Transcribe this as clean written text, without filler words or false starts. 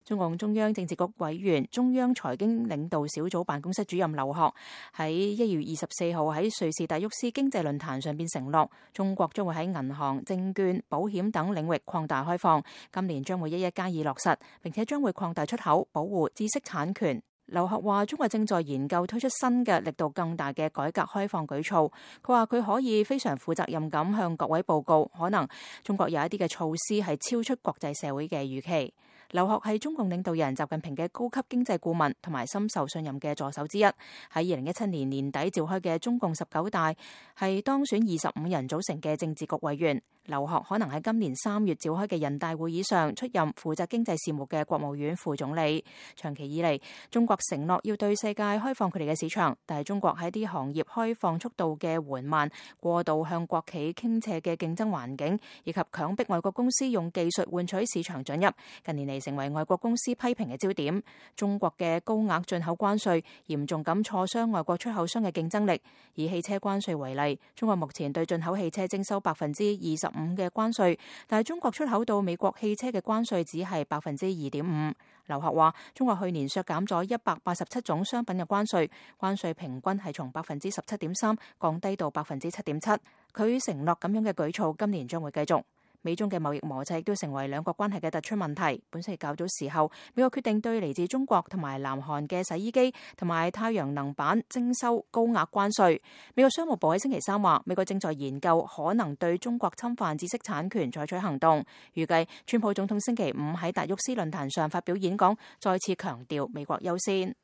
中共中央政治局委員、中央財經領導小組辦公室主任劉鶴喺1月24號喺瑞士達沃斯經濟論壇上邊承諾，中國將會喺銀行、證券、保險等領域擴大開放，今年將會一一加以落實，並且將會擴大出口，保護知識產權。劉鶴話：中國正在研究推出新嘅力度更大嘅改革開放舉措。佢話佢可以非常負責任咁向各位報告，可能中國有一啲嘅措施係超出國際社會嘅預期。劉鶴係中共領導人習近平嘅高級經濟顧問同埋深受信任嘅助手之一。喺2017年年底召開嘅中共19大係當選25人組成嘅政治局委員。劉鶴可能喺今年3月召開嘅人大會議上出任負責經濟事務嘅國務院副總理。長期以嚟，中國承諾要對世界開放佢哋嘅市場，但係中國喺啲行業開放速度嘅緩慢、過度向國企傾斜嘅競爭環境，以及強迫外國公司用技術換取市場准入，近年嚟成為外國公司批評嘅焦點。中國嘅高額進口關稅嚴重咁挫傷外國出口商嘅競爭力。以汽車關稅為例，中國目前對進口汽車徵收25%嘅關稅，但係中國出口到美國汽車嘅關稅只係2.5%。劉鶴話：中國去年削減咗187種商品嘅關稅，關稅平均係從17.3%降低到7.7%。佢承諾咁樣嘅舉措今年將會繼續。美中嘅貿易摩擦亦都成為兩國關係嘅突出問題。本星期較早時候，美國決定對嚟自中國同埋南韓嘅洗衣機同埋太陽能板徵收高額關稅。美國商務部喺星期3話，美國正在研究可能對中國侵犯知識產權採取行動。預計川普總統星期5喺達沃斯論壇上發表演講，再次強調美國優先。